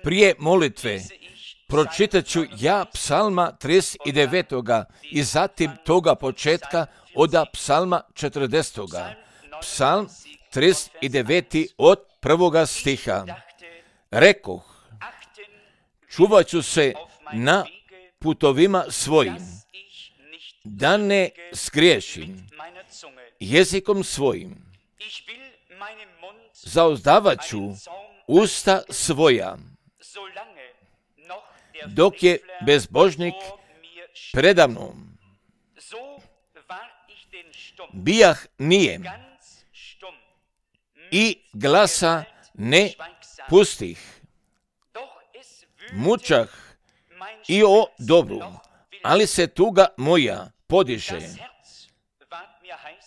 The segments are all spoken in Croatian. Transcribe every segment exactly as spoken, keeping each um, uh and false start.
Prije molitve pročitat ću ja psalma trideset devet. i zatim toga početka od psalma četrdeset. Psalm trideset devet. od prvoga stiha. Rekoh, čuvat ću se na putovima svojim, da ne skriješim jezikom svojim. Zauzdavat ću usta svoja, dok je bezbožnik predamnom. Bijah nijem i glasa ne pustih. Mučah i o dobru, ali se tuga moja podiže.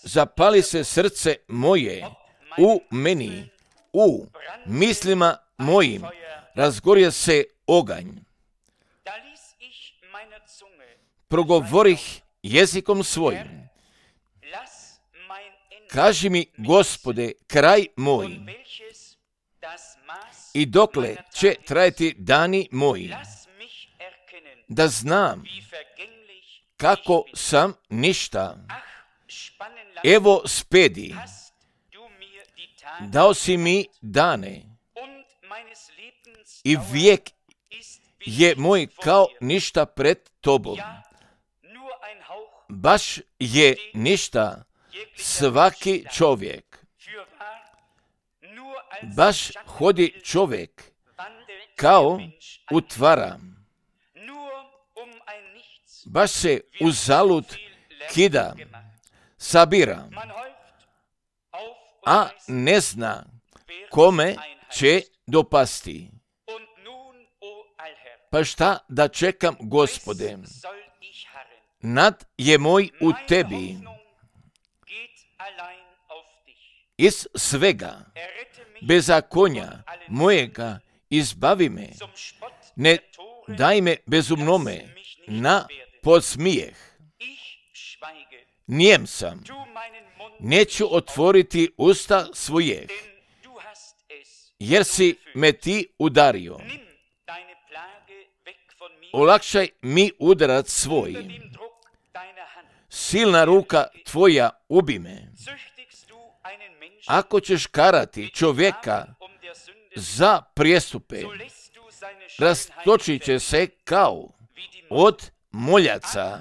Zapali se srce moje u meni, u mislima mojim razgorje se oganj. Progovorih jezikom svojim. Kaži mi, Gospode, kraj moj, i dokle će trajati dani moji, da znam kako sam ništa. Evo spedi, dao si mi dane, i vijek je moj kao ništa pred tobom. Baš je ništa svaki čovjek. Baš hodi čovjek kao utvara. Baš se uzalud kida, sabira, a ne zna kome će dopasti. Pa šta da čekam, Gospode? Nad je moj u tebi. Iz svega bezakonja mojega izbavi me. Ne daj me bezumnome na podsmijeh. Nijem sam. Neću otvoriti usta svojih, jer si me ti udario. Olakšaj mi udarac svoj. Silna ruka tvoja ubi me. Ako ćeš karati čovjeka za prijestupe, rastočit će se kao od moljaca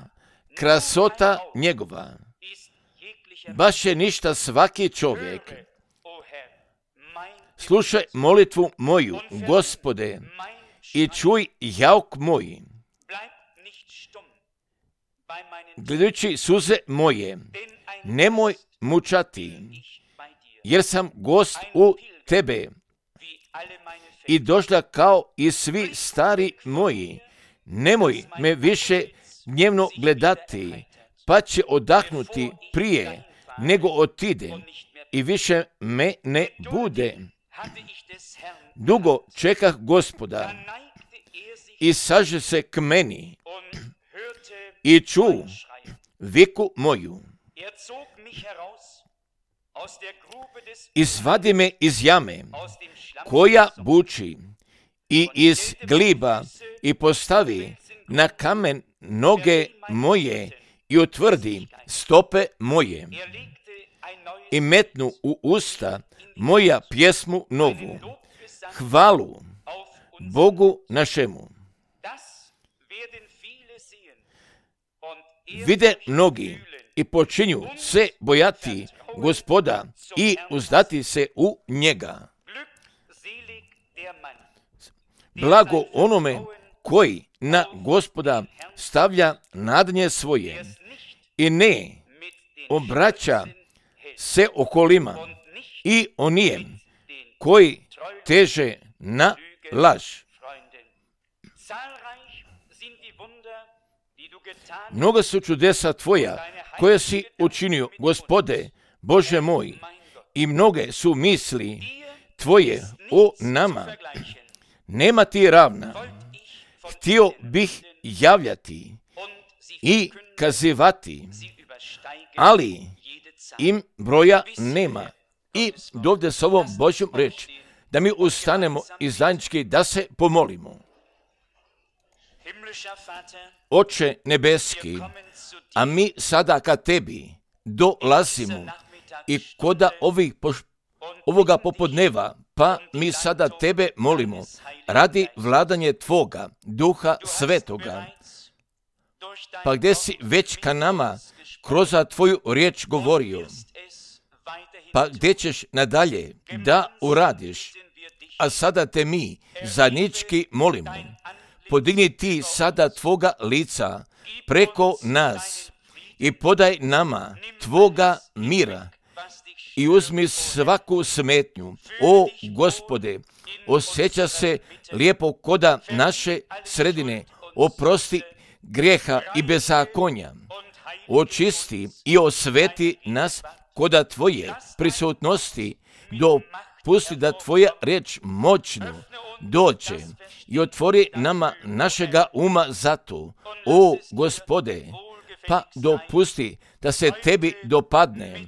krasota njegova. Baš je ništa svaki čovjek. Slušaj molitvu moju, Gospode, i čuj jauk moj. Gledajući suze moje, nemoj mučati, jer sam gost u tebe. I došla kao i svi stari moji. Nemoj me više dnevno gledati, pa će odahnuti prije nego otidem i više me ne bude. Dugo čekah Gospoda i saže se k meni i ču viku moju. Izvadi me iz jame koja buči i iz gliba i postavi na kamen noge moje i utvrdi stope moje i metnu u usta moja pjesmu novu, hvalu Bogu našemu. Vide mnogi i počinju se bojati Gospoda i uzdati se u njega. Blago onome koji na Gospoda stavlja nadanje svoje i ne obraća se okolima i onijem koji teže na laž. Mnoga su čudesa tvoja koje si učinio, Gospode, Bože moj, i mnoge su misli tvoje o nama. Nema ti ravna. Htio bih javljati i kazivati, ali im broja nema. I dovde s ovom Božjom reč, da mi ustanemo i zajednički da se pomolimo. Oče nebeski, a mi sada ka tebi dolazimo i koda ovih poš- ovoga popodneva, pa mi sada tebe molimo radi vladanje tvoga, Duha Svetoga, pa gdje si već ka nama kroz tvoju riječ govorio, pa gdje ćeš nadalje da uradiš, a sada te mi zajednički molimo, podigni ti sada tvoga lica preko nas i podaj nama tvoga mira i uzmi svaku smetnju. O Gospode, osjeća se lijepo koda naše sredine, oprosti grijeha i bezakonja, očisti i osveti nas koda tvoje prisutnosti, dopusti da tvoja riječ moćno dođe i otvori nama našega uma za to. O Gospode, pa dopusti da se tebi dopadne,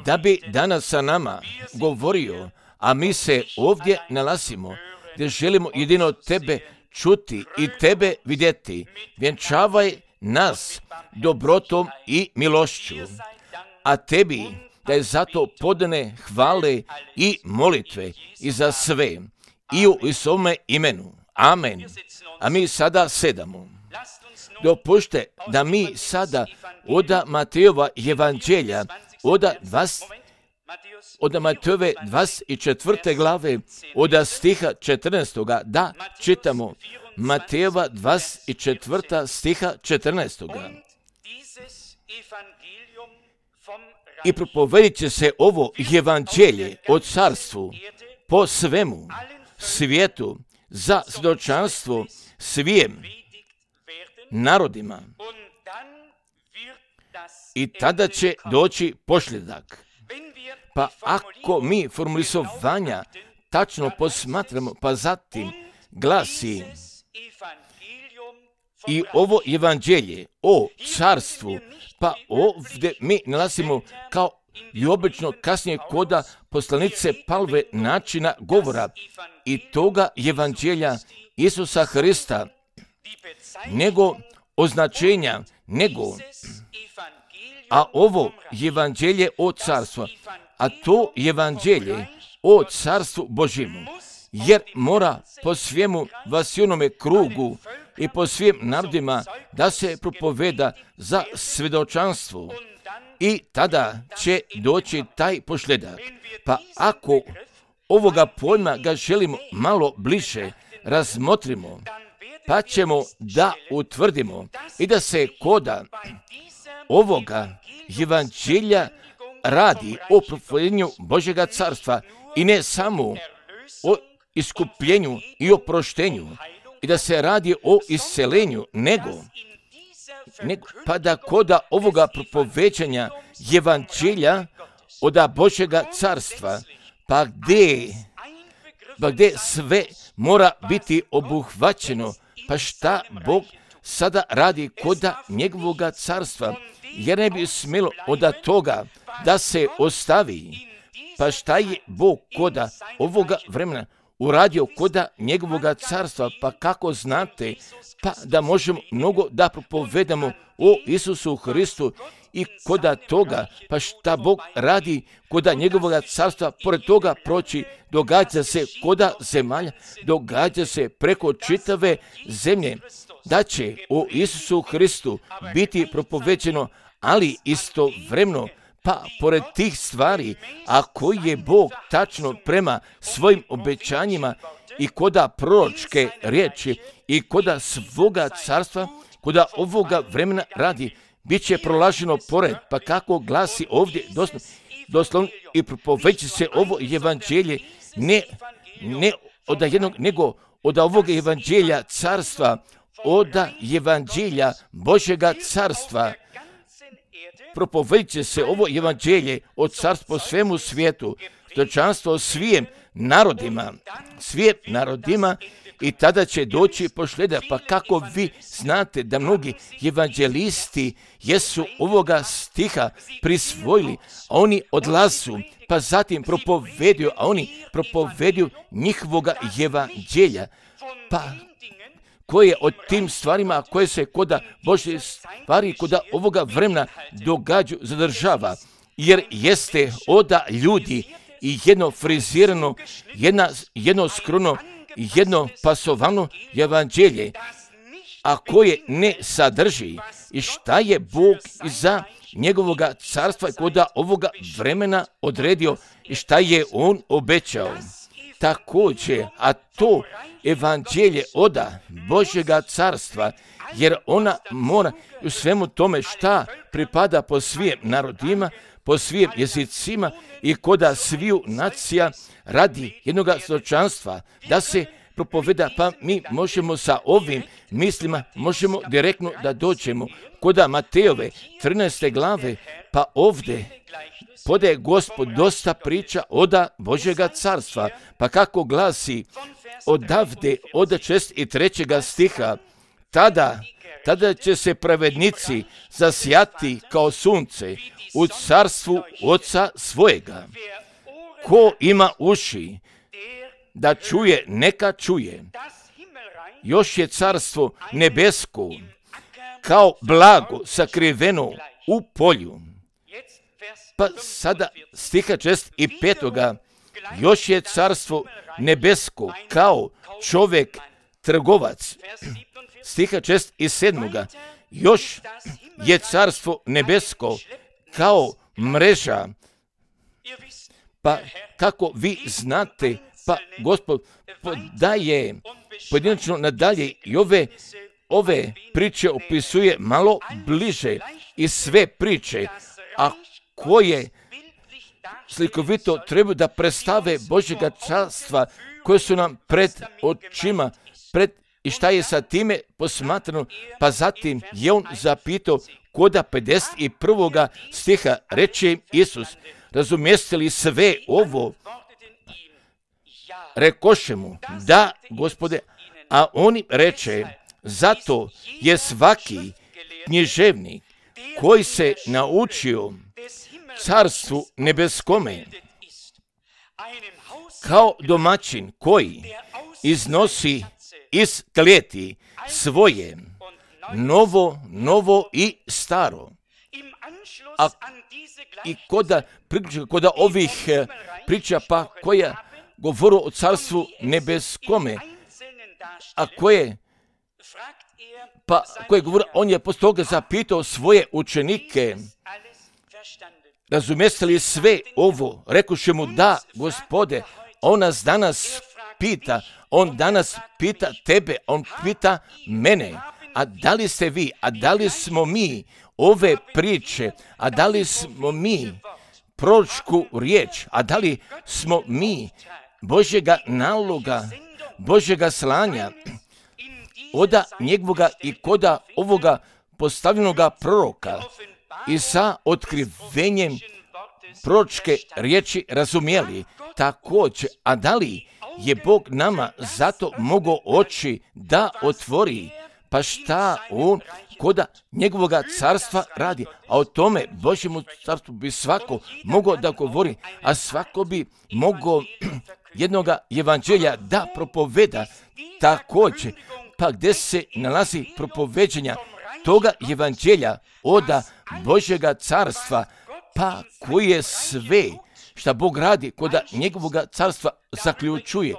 da bi danas sa nama govorio, a mi se ovdje nalazimo, gdje želimo jedino tebe čuti i tebe vidjeti. Vjenčavaj nas dobrotom i milošću, a tebi da je zato podane hvale i molitve i za sve i u Isovome imenu. Amen. A mi sada sedamo. Dopušte da mi sada od Matejova evanđelja, od vas, od Matejove dvadeset četvrte glave, od stiha četrnaestoga, da čitamo Matejova dvadeset četvrta stiha četrnaestoga. I propovedit će se ovo evanđelje o carstvu po svemu svijetu za svjedočanstvo svim narodima. I tada će doći posljedak. Pa ako mi formulisovanja tačno posmatramo, pa zatim glasi i ovo evanđelje o carstvu, pa ovdje mi nalazimo kao i obično kasnije koda poslanice Pavlove načina govora i toga evanđelja Isusa Hrista, nego označenja, nego, a ovo evanđelje o carstvu, a to evanđelje o carstvu Božjemu, jer mora po svijemu vasilnome krugu i po svim narodima da se propoveda za svjedočanstvo i tada će doći taj posljedak. Pa ako ovoga pojma ga želimo malo bliže razmotrimo, pa ćemo da utvrdimo i da se koda ovoga evanđelja radi o propovedanju Božjega carstva i ne samo o iskupljenju i oproštenju i da se radi o iscelenju, nego, nego pa da koda ovoga propoveđanja evanđelja od Božjega carstva, pa gdje, pa gdje sve mora biti obuhvaćeno, pa šta Bog sada radi koda njegovoga carstva, jer ne bi smjelo od toga da se ostavi. Pa šta je Bog koda ovoga vremena uradio koda njegovoga carstva, pa kako znate, pa da možemo mnogo da propovedamo o Isusu Hristu i koda toga, pa šta Bog radi koda njegovoga carstva, pored toga proći, događa se koda zemalja, događa se preko čitave zemlje, da će o Isusu Hristu biti propoveđeno, ali istovremeno, pa pored tih stvari, a koji je Bog tačno prema svojim obećanjima i koda proročke riječi i koda svoga carstva, koda ovoga vremena radi, bit će prolaženo pored, pa kako glasi ovdje doslovno, doslovno i propoveći se ovo evanđelje ne, ne od jednog, nego od ovoga evanđelja carstva, od evanđelja Božjega carstva. Propovedit će se ovo evanđelje od carstva po svemu svijetu, svjedočanstvo svijem narodima, svijem narodima i tada će doći pošljeda. Pa kako vi znate da mnogi evanđelisti jesu ovoga stiha prisvojili, a oni odlazu, pa zatim propoveduju, a oni propoveduju njihovoga evanđelja. Pa koje od tim stvarima koje se koda Božje stvari koda ovoga vremena događaju zadržava, jer jeste oda ljudi i jedno frizirano, jedna, jedno skrono, jedno pasovano evanđelje, a koje ne sadrži i šta je Bog za njegovoga carstva koda ovoga vremena odredio i šta je on obećao. Također, a to evanđelje oda Božjega carstva, jer ona mora u svemu tome šta pripada po svim narodima, po svim jezicima i koda sviju nacija radi jednoga svjedočanstva da se propoveda, pa mi možemo sa ovim mislima, možemo direktno da dođemo koda Matejove trinaeste glave, pa ovdje podaje Gospod dosta priča oda Božjega carstva, pa kako glasi odavde od šezdeset trećega stiha, tada, tada će se pravednici zasjati kao sunce u carstvu Oca svojega. Ko ima uši da čuje, neka čuje. Još je carstvo nebesko kao blago sakriveno u polju. Pa sada stiha šezdeset petoga još je carstvo nebesko kao čovjek trgovac. Stiha šezdeset sedmoga još je carstvo nebesko kao mreža. Pa kako vi znate, pa Gospod podaje pojedinačno nadalje i ove, ove priče opisuje malo bliže i sve priče, a koje slikovito treba da predstave Božjega carstva koje su nam pred očima, pred i šta je sa time posmatrano, pa zatim je on zapitao koda pedeset prvoga stiha, reče im Isus, razumijeste li sve ovo? Rekoše mu, da, Gospode, a on im reče, zato je svaki književnik koji se naučio carstvu nebeskome, kao domaćin koji iznosi iz klijeti svoje novo, novo i staro. A i koda, koda ovih priča pa koja govoru o carstvu nebeskome, a koje pa koje govore, on je posle toga zapitao svoje učenike, razumijeste li sve ovo? Rekuše mu, da, Gospode. On nas danas pita, on danas pita tebe, on pita mene, a da li ste vi, a da li smo mi ove priče, a da li smo mi proročku riječ, a da li smo mi Božjega naloga, Božjega slanja, oda njegovoga i koda ovoga postavljenoga proroka i sa otkrivenjem proročke riječi razumjeli također, a da li je Bog nama zato mogao oči da otvori, pa šta on koda njegovoga carstva radi, a o tome Božjemu carstvu bi svako mogao da govori, a svako bi mogao jednoga evanđelja da propoveda također, pa gdje se nalazi propoveđenja toga evanđelja oda Božjega carstva, pa koji je sve šta Bog radi koda njegovoga carstva zaključuje,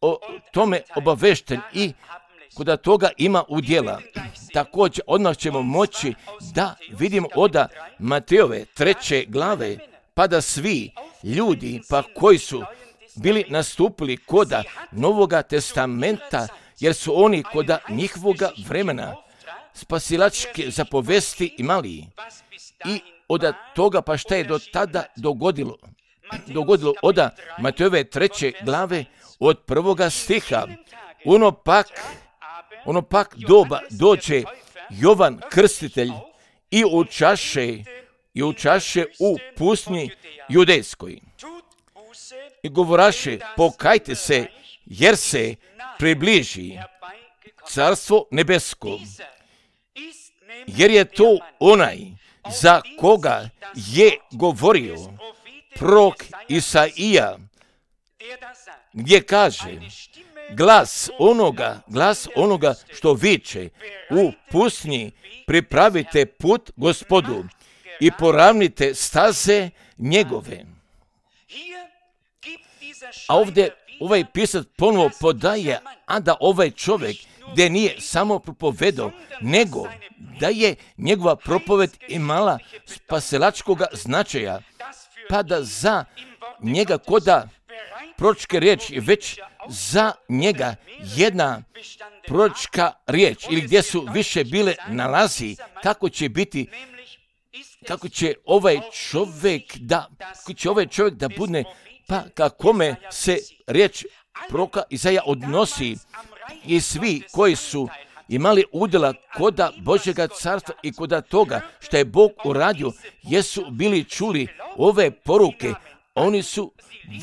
o tome obavešten i koda toga ima udjela. Također odmah ćemo moći da vidimo oda Matejove treće glave, pa da svi ljudi pa koji su bili nastupili koda Novoga testamenta, jer su oni koda njihovoga vremena spasilačke zapovesti imali. I od toga pa šta je do tada dogodilo? Dogodilo oda Matejove treće glave od prvoga stiha. Ono pak, ono pak doba dođe Jovan Krstitelj i učaše, i učaše u pustinji judejskoj. i govoraše, pokajte se, jer se približi carstvo nebesko. Jer je to onaj za koga je govorio prorok Isaija, gdje kaže, glas onoga, glas onoga što viče u pustinji, pripravite put Gospodu i poravnite staze njegove. A ovdje ovaj pisac ponovo podaje, a da ovaj čovjek gdje nije samo propovedao, nego da je njegova propoved imala spasilačkoga značaja, pa da za njega koda proročke riječi, već za njega jedna proročka riječ, ili gdje su više bile nalazi, kako će biti, kako će ovaj čovjek da, kako će ovaj čovjek da bude, pa kakome se riječ proroka Isaija odnosi, i svi koji su imali udjela koda Božjega carstva i koda toga što je Bog uradio, jesu bili čuli ove poruke, oni su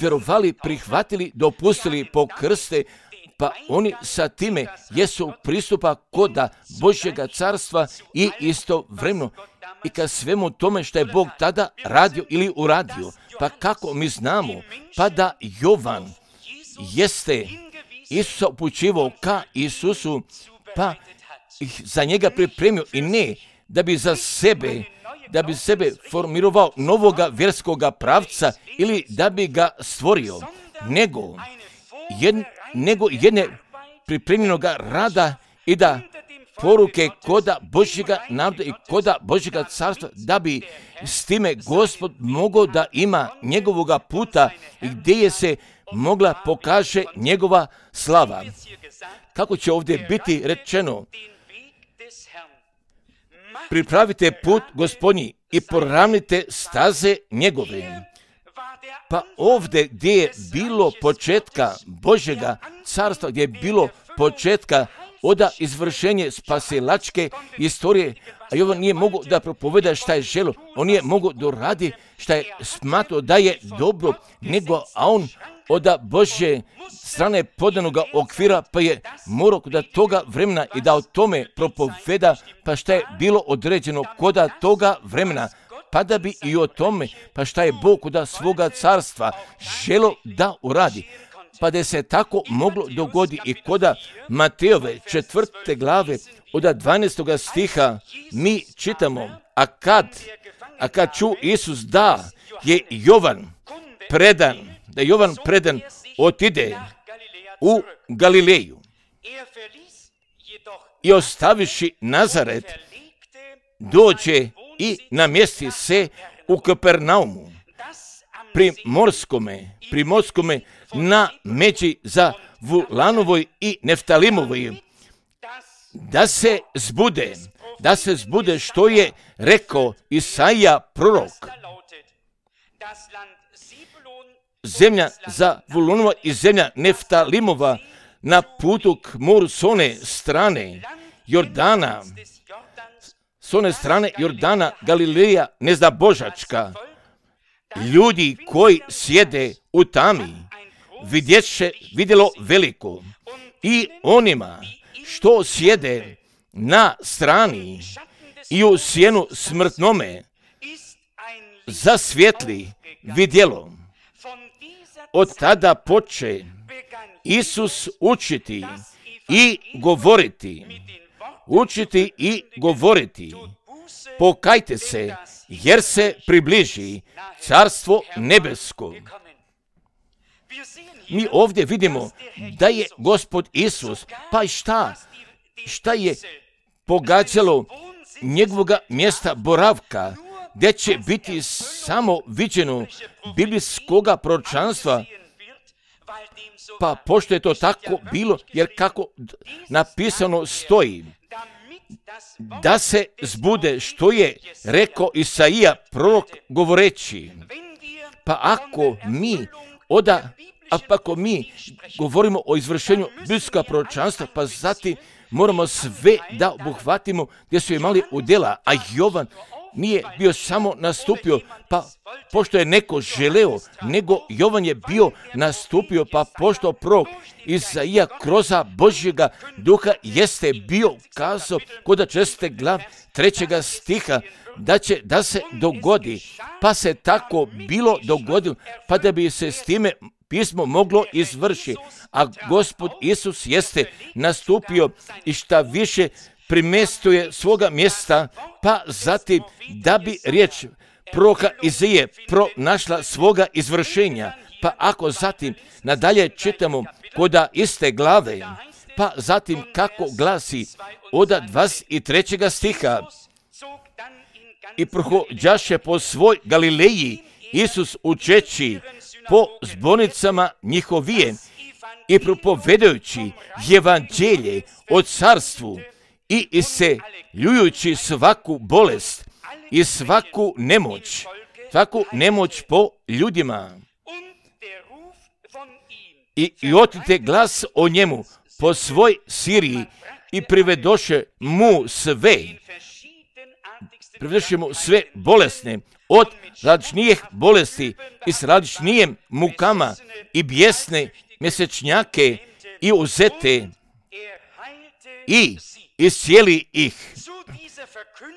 vjerovali, prihvatili, dopustili pokrste, pa oni sa time jesu pristupa koda Božjega carstva i istovremeno i ka svemu tome što je Bog tada radio ili uradio. Pa kako mi znamo? Pa da Jovan jeste Isusa upućivao ka Isusu, pa ih za njega pripremio, i ne da bi za sebe, da bi sebe formirao novoga vjerskoga pravca ili da bi ga stvorio, nego, jed, nego jedne pripremljenoga rada i da poruke koda Božjega naroda i koda Božjega carstva, da bi s time Gospod mogao da ima njegovoga puta i gdje je se mogla pokaže njegova slava. Kako će ovdje biti rečeno? Pripravite put Gospodnji i poravnite staze njegove. Pa ovdje gdje je bilo početka Božjega carstva, gdje je bilo početka oda izvršenje spasilačke istorije, a Jovan nije mogu da propoveda šta je želo, on nije mogu da radi šta je smatrao da je dobro, nego a on oda Božje strane podanoga okvira, pa je morao da toga vremena i da o tome propoveda, pa šta je bilo određeno koda toga vremena, pa da bi i o tome, pa šta je Bog koda svoga carstva želo da uradi. Pa da se tako moglo dogodi i koda Matejove četvrte glave od dvanaestoga stiha mi čitamo, a kad, a kad ču Isus da je Jovan predan, da Jovan predan otide u Galileju i ostaviši Nazaret, dođe i namjesti se u Kapernaumu, pri morskome, pri morskome na međi za Vulanovoj i Neftalimovoj, da se zbude, da se zbude što je rekao Isaija prorok. Zemlja za Vulunova i zemlja Neftalimova na putu k moru s one strane Jordana, s one strane Jordana, Galileja nezdabožačka. Ljudi koji sjede u tami vidjeće, vidjelo veliko, i onima što sjede na strani i u sjenu smrtnome zasvjetli vidjelo. Od tada poče Isus učiti i govoriti, učiti i govoriti, pokajte se, jer se približi carstvo nebesko. Mi ovdje vidimo da je Gospod Isus, pa i šta, šta je pogađalo njegovoga mjesta boravka, gdje će biti samo viđeno biblijskoga proročanstva, pa pošto je to tako bilo, jer kako napisano stoji, da se zbude što je rekao Isaija prorok govoreći. Pa ako mi oda, a pa ako mi govorimo o izvršenju biblijskog proročanstva, pa zatim moramo sve da obuhvatimo gdje su imali udjela, a Jovan nije bio samo nastupio, pa pošto je neko želeo, nego Jovan je bio nastupio, pa pošto prorok Izaija kroza Božjega duha jeste bio kazao kod česte glav trećega stiha, da će da se dogodi, pa se tako bilo dogodilo, pa da bi se s time pismo moglo izvršiti, a Gospod Isus jeste nastupio i šta više primestuje svoga mjesta, pa zatim da bi riječ proroka Izaije pronašla svoga izvršenja. Pa ako zatim nadalje čitamo koda iste glave, pa zatim kako glasi od dvadeset trećeg stiha, i prohođaše po svoj Galileji Isus učeći po zbornicama njihovije i propovedajući evanđelje o carstvu i isceljujući svaku bolest i svaku nemoć, svaku nemoć po ljudima. I, i otite glas o njemu po svoj Siriji i privedoše mu sve, privedoše mu sve bolesne, od različnijih bolesti i s različnijim mukama i bijesne mjesečnjake i uzete i iscijeli ih.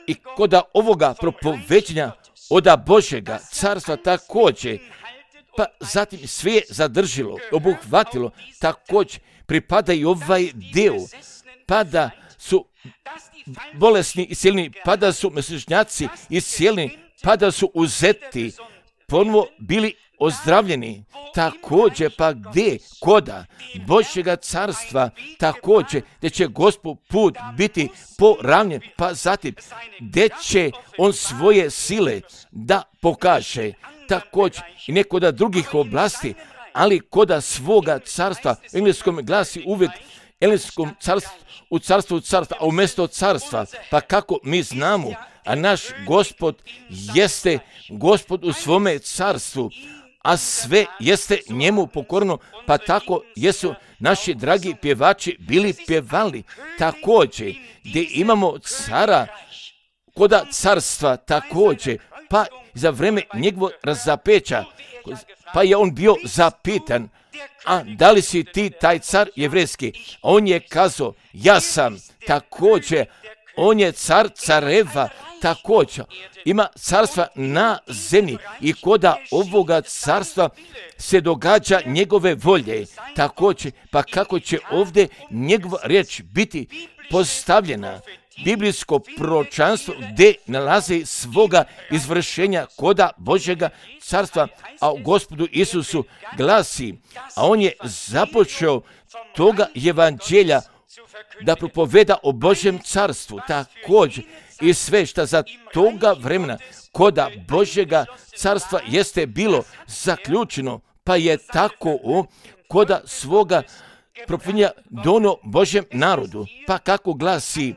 I koda ovoga propoveđenja oda Božjega carstva također, pa zatim sve je zadržilo, obuhvatilo, također pripada i ovaj dio, pa da su bolesni iscijeljeni, pa da su mjesečnjaci iscijeljeni, pa da su uzeti, ponovo bili ozdravljeni, također pa gdje koda Božjega carstva, također gdje će Gospod put biti poravnjen, pa zatim gdje će on svoje sile da pokaže, također i nekoda drugih oblasti, ali koda svoga carstva, u engleskom glasi uvijek engleskom carstvu, u carstvu carstva, a umjesto carstva, pa kako mi znamo, a naš Gospod jeste Gospod u svome carstvu, a sve jeste njemu pokorno, pa tako jesu naši dragi pjevači bili pjevali. Također, gdje imamo cara, koda carstva također, pa za vrijeme njegovog razapeća, pa je on bio zapitan, a da li si ti taj car jevrejski? A on je kazao, ja sam. Također, on je car careva, također ima carstva na zemlji i koda ovoga carstva se događa njegove volje. Također, pa kako će ovdje njegova riječ biti postavljena, biblijsko proročanstvo gdje nalazi svoga izvršenja koda Božjega carstva, a u Gospodu Isusu glasi, a on je započeo toga evanđelja da propoveda o Božjem carstvu, također i sve što za toga vremena koda Božjega carstva jeste bilo zaključeno, pa je tako o koda svoga propovedanja dono Božjem narodu, pa kako glasi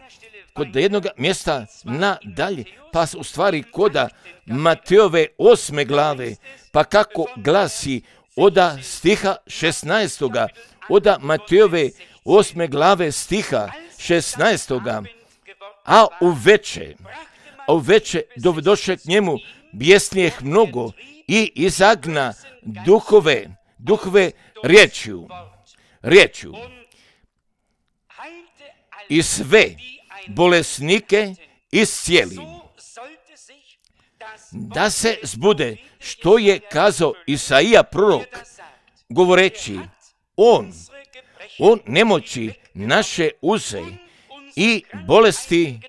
kod jednog mjesta nadalje, pa u stvari koda Mateove osme glave, pa kako glasi oda stiha šesnaestoga, oda Mateove osme glave stiha šesnaestoga, a u veče, a u veče dovedoše k njemu bijesnijeh mnogo i izagna duhove, duhove riječju, riječju i sve bolesnike iscijeli, da se zbude što je kazao Isaija prorok, govoreći, on, on nemoći naše uze i bolesti,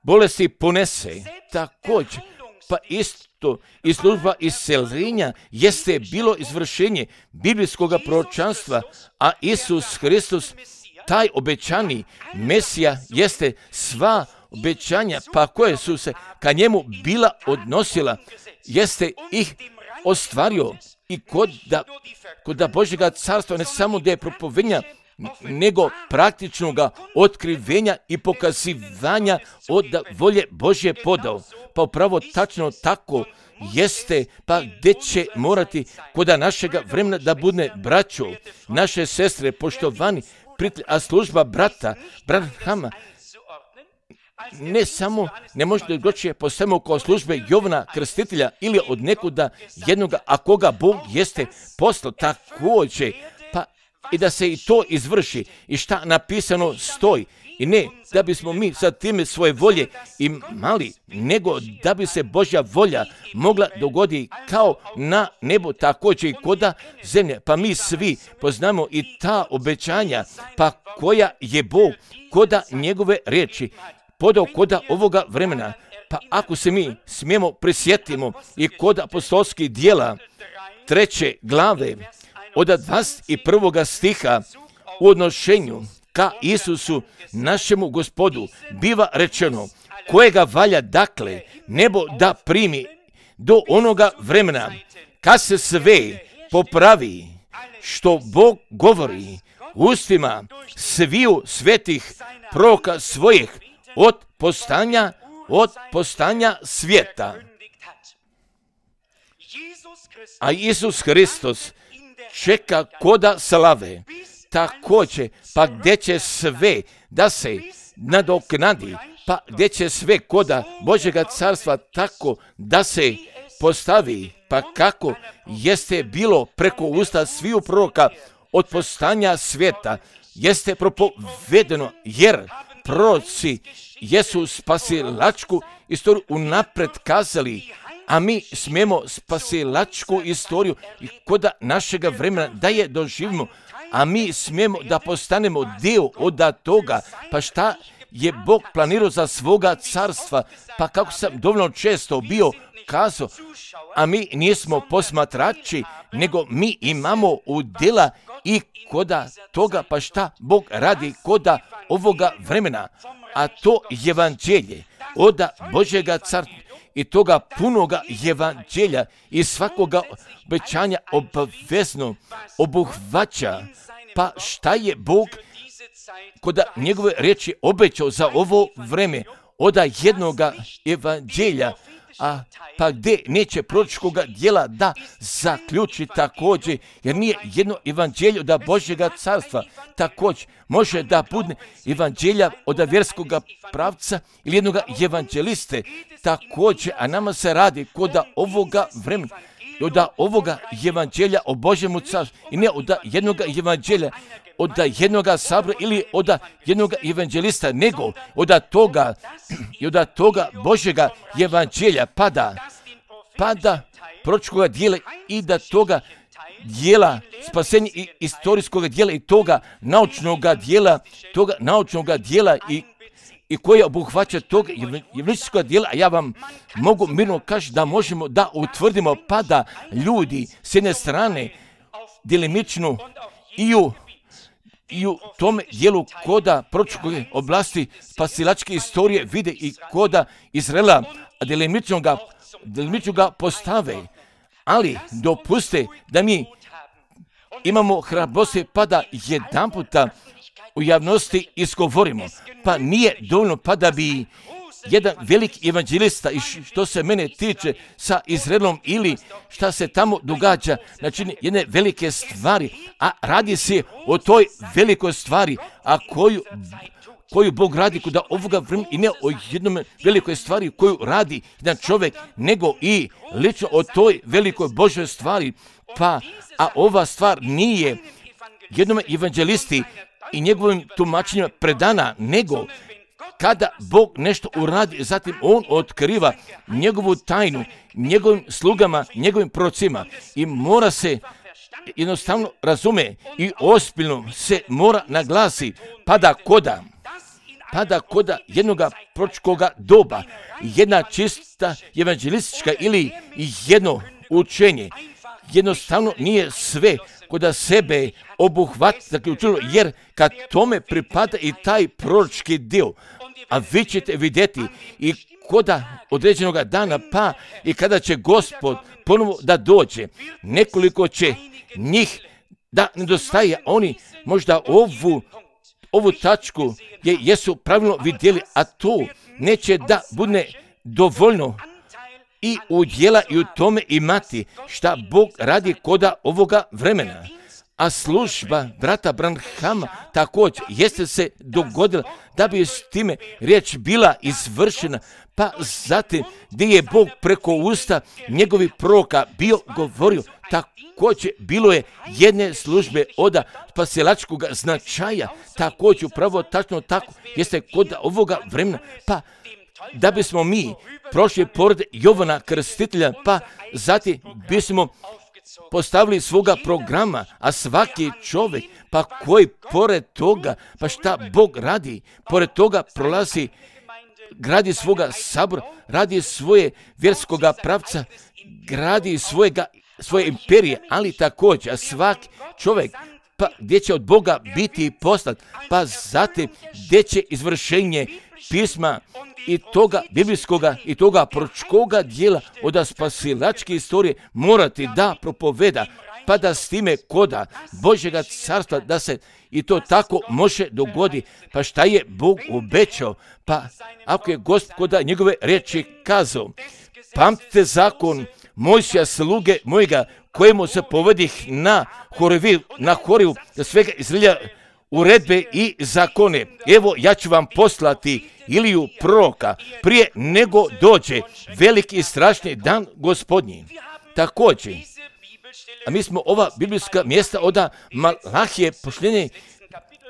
bolesti ponese. Također, pa isto i služba isceljenja jeste bilo izvršenje biblijskog proročanstva, a Isus Hristos, taj obećani Mesija, jeste sva obećanja, pa koje su se ka njemu bila odnosila, jeste ih ostvario i kod da, kod da Božjega carstva ne samo da je propovedanja, nego praktičnoga otkrivenja i pokazivanja od volje Božje podao. Pa upravo tačno tako jeste, pa gdje će morati koda našega vremena da bude braćo, naše sestre, poštovani prijatelji, a služba brata, Branhama, ne samo ne možete doći po svemu kao službe Jovana Krstitelja ili od nekuda jednoga, a koga Bog jeste poslao također, pa i da se i to izvrši i šta napisano stoji. I ne da bismo mi sa time svoje volje imali, nego da bi se Božja volja mogla dogoditi kao na nebu, također i koda zemlje. Pa mi svi poznamo i ta obećanja, pa koja je Bog koda njegove riječi podao koda ovoga vremena. Pa ako se mi smijemo prisjetimo i kod apostolskih dijela treće glave od dvadeset prvog stiha u odnošenju ka Isusu, našemu Gospodu, biva rečeno, kojega valja dakle nebo da primi do onoga vremena kad se sve popravi što Bog govori ustima sviju svetih proroka svojih od postanja od postanja svijeta. A Isus Hristos čeka koda slave, također, pa gdje će sve da se nadoknadi, pa gdje će sve koda Božjega carstva tako da se postavi, pa kako jeste bilo preko usta sviju proroka od postanja svijeta, jeste propovedeno, jer proroci jesu spasilačku istoriju unapred kazali, a mi smijemo spasilačku istoriju i koda našega vremena da je doživimo, a mi smijemo da postanemo dio od toga. Pa šta je Bog planirao za svoga carstva? Pa kako sam dovoljno često bio kazao, a mi nismo posmatrači, nego mi imamo udjela i koda toga, pa šta Bog radi koda ovoga vremena, a to evanđelje od Božjega carstva i toga punoga evanđelja i svakoga obećanja obavezno obuhvaća. Pa šta je Bog koda njegove riječi obećao za ovo vreme od jednoga evanđelja, a pa gdje neće proročkoga dijela da zaključi također, jer nije jedno evanđelje od Božjega carstva, također može da bude evanđelja od vjerskoga pravca ili jednoga evanđeliste, također, a nama se radi kod ovoga vremena, od ovoga evanđelja o Božjemu carstvu i ne od jednoga evanđelja od jednoga sabora ili od jednoga evanđelista, nego od toga i od toga Božjega evanđelja pada, pada proročkoga dijela i da toga dijela spasenja i istorijskog dijela i toga naučnog dijela, toga naučnog dijela i i koje obuhvaća tog evangelističkog dijela, a ja vam mogu mirno kaži da možemo da utvrdimo pada ljudi s jedne strane delimično i u, i u tome dijelu koda proročke oblasti spasilačke istorije vide i koda Izraela, a delimično ga, delimično ga postave. Ali dopuste da mi imamo hrabrosti pa da jedan puta u javnosti izgovorimo, pa nije dovoljno pa da bi jedan veliki evanđelista i što se mene tiče sa Izraelom ili šta se tamo događa, znači jedne velike stvari, a radi se o toj velikoj stvari, a koju, koju Bog radi kod ovoga vremena i ne o jednom velikoj stvari koju radi jedan čovjek, nego i lično o toj velikoj Božoj stvari, pa a ova stvar nije jednom evanđelisti i njegovim tumačenjima predana, nego kada Bog nešto uradi, zatim on otkriva njegovu tajnu njegovim slugama, njegovim prorocima i mora se jednostavno razume i ozbiljno se mora naglasi pada koda, pada koda jednoga proročkoga doba, jedna čista evanđelistička ili jedno učenje. Jednostavno nije sve koda sebe obuhvati zaključilo, jer kad tome pripada i taj proročki dio, a vi ćete vidjeti i koda određenog dana, pa i kada će Gospod ponovo da dođe, nekoliko će njih da nedostaje, oni možda ovu, ovu tačku je, jesu pravilno vidjeli, a to neće da bude dovoljno i udjela i u tome imati šta Bog radi koda ovoga vremena. A služba brata Branhama također jeste se dogodila da bi s time riječ bila izvršena, pa zatim gdje je Bog preko usta njegovih proroka bio govorio, također bilo je jedne službe od spasilačkog značaja, također upravo tačno tako jeste kod ovoga vremena, pa da bismo mi prošli pored Jovana Krstitelja, pa zatim bismo postavili svoga programa, a svaki čovjek, pa koji pored toga, pa šta Bog radi, pored toga prolazi, gradi svoga sabora, radi svoje vjerskoga pravca, gradi svojega, svoje imperije, ali također, a svaki čovjek, pa gdje će od Boga biti poslat, pa zatim gdje će izvršenje pisma i toga biblijskoga i toga proročkoga dijela od spasilačke istorije morati da propoveda, pa da s time koda Božjega carstva da se i to tako može dogodi. Pa šta je Bog obećao? Pa ako je Gospoda njegove riječi kazao, pamtite zakon Mojsija sluge mojega, kojemu se povedih na Horiju, na Horiju, da svega Izraelja uredbe i zakone. Evo, ja ću vam poslati Iliju proroka prije nego dođe veliki i strašni dan Gospodnji. Također, a mi smo ova biblijska mjesta od Malahije posljednje,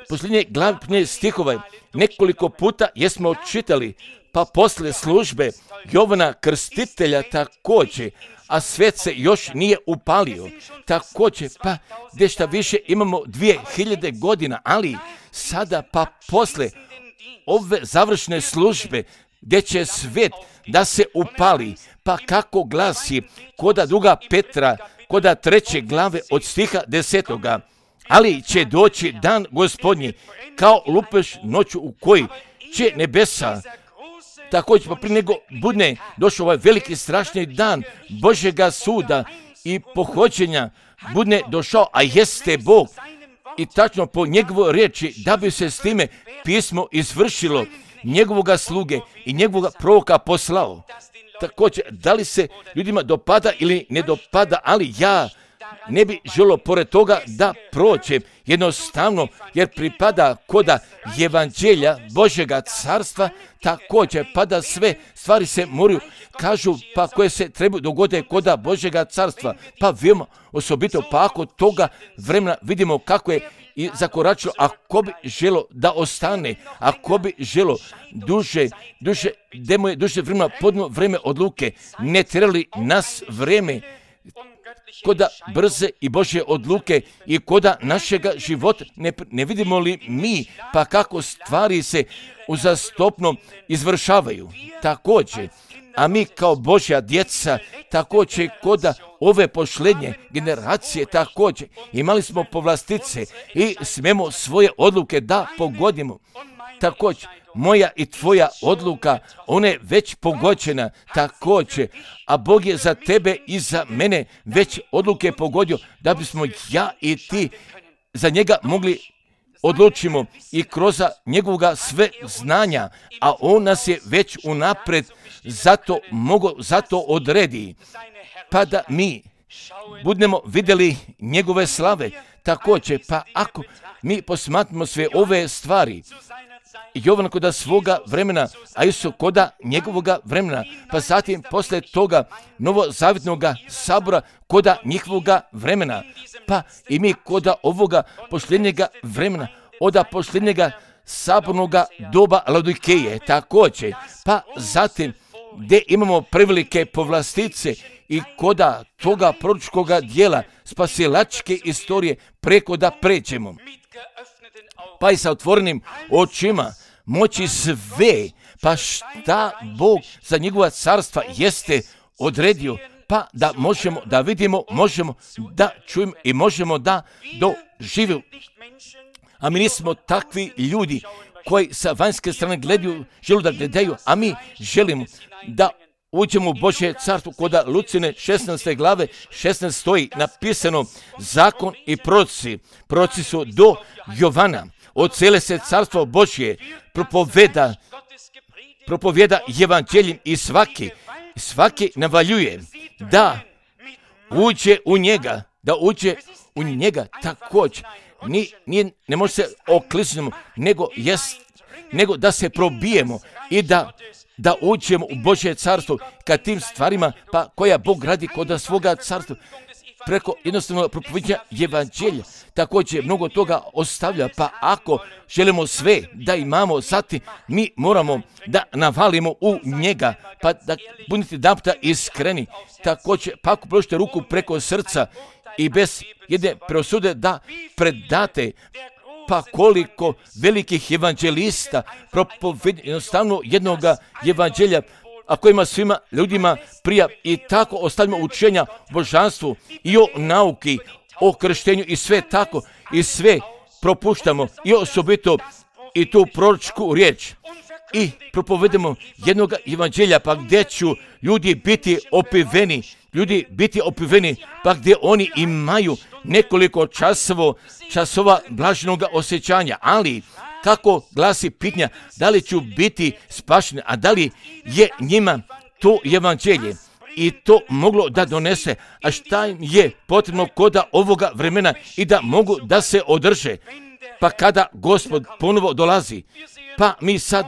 posljednje glavne stihove nekoliko puta jesmo čitali, pa posle službe Jovana Krstitelja također, a svet se još nije upalio. Također, pa gdje šta više imamo dvije hiljade godina, ali sada pa posle ove završne službe gdje će svet da se upali, pa kako glasi koda druga Petra, koda treće glave od stiha desetoga, ali će doći dan Gospodnji kao lupež noću u koji će nebesa, također pa prije nego bude došao ovaj veliki strašni dan Božjega suda i pohođenja, bude došao, a jeste Bog, i tačno po njegovoj riječi da bi se s time pismo izvršilo, njegovoga sluge i njegovoga proroka poslao. Također, da li se ljudima dopada ili ne dopada, ali ja ne bi želio pored toga da prođem jednostavno, jer pripada koda evanđelja Božjega carstva, također pa da sve stvari se moraju, kažu, pa koje se trebaju dogode koda Božjega carstva, pa veoma osobito, pa ako toga vremena vidimo kako je i zakoračilo, ako bi želo da ostane, ako bi želo duže, duže, demo je duže vremena, podno vreme odluke, ne trebali nas vreme koda brze i Božje odluke i koda našega života ne, ne vidimo li mi, pa kako stvari se uzastopno izvršavaju. Također, a mi kao Božja djeca, također koda ove posljednje generacije, također imali smo povlastice i smemo svoje odluke da pogodimo. Također, moja i tvoja odluka, ona je već pogođena, također, a Bog je za tebe i za mene već odluke pogodio, da bismo ja i ti za njega mogli odlučimo i kroz njegovoga sve znanja, a on nas je već unapred zato mogo, zato odredi, pa da mi budemo vidjeli njegove slave. Također, pa ako mi posmatramo sve ove stvari, Jovan koda svoga vremena, a Isus koda njegovoga vremena, pa zatim posle toga novozavjetnog sabora koda njihovoga vremena, pa i mi koda ovoga posljednjega vremena, od posljednjega sabornoga doba Laodikeje, također, pa zatim gdje imamo prevelike povlastice i koda toga proročkoga dijela spasilačke istorije preko da pređemo. Pa i sa otvorenim očima moći sve, pa šta Bog za njegova carstva jeste odredio, pa da možemo da vidimo, možemo da čujemo i možemo da doživimo. A mi nismo takvi ljudi koji sa vanjske strane gledaju, žele da gledaju, a mi želimo da uđemo u Božje carstvo. Koda Lucine šesnaeste glave šesnaest stoji napisano zakon i proroci. Proroci su do Jovana. Odsele se carstvo Božje, propoveda, propoveda evanđeljem i svaki, svaki navaljuje da uđe u njega, da uđe u njega također ni, ni, ne može se okliznemo, nego, jest, nego da se probijemo i da, da uđemo u Božje carstvo ka tim stvarima pa koja Bog radi kod svoga carstva. Preko jednostavno propoviđenja evanđelja također mnogo toga ostavlja, pa ako želimo sve da imamo, zatim mi moramo da navalimo u njega, pa da budete damputa iskreni. Također, pa ako položite ruku preko srca i bez jedne preosude da predate, pa koliko velikih evanđelista propovedi jednostavno jednog evanđelja, a kojima svima ljudima prija i tako ostavljamo učenja o božanstvu i o nauki, o krštenju i sve tako i sve propuštamo i osobito i tu proročku riječ i propovedemo jednog evanđelja pa gdje ću ljudi biti opiveni, ljudi biti opiveni pa gdje oni imaju nekoliko časova, časova blaženog osjećanja, ali kako glasi pitanja, da li ću biti spašen, a da li je njima to evanđelje i to moglo da donese, a šta im je potrebno koda ovoga vremena i da mogu da se održe. Pa kada Gospod ponovo dolazi, pa mi sad,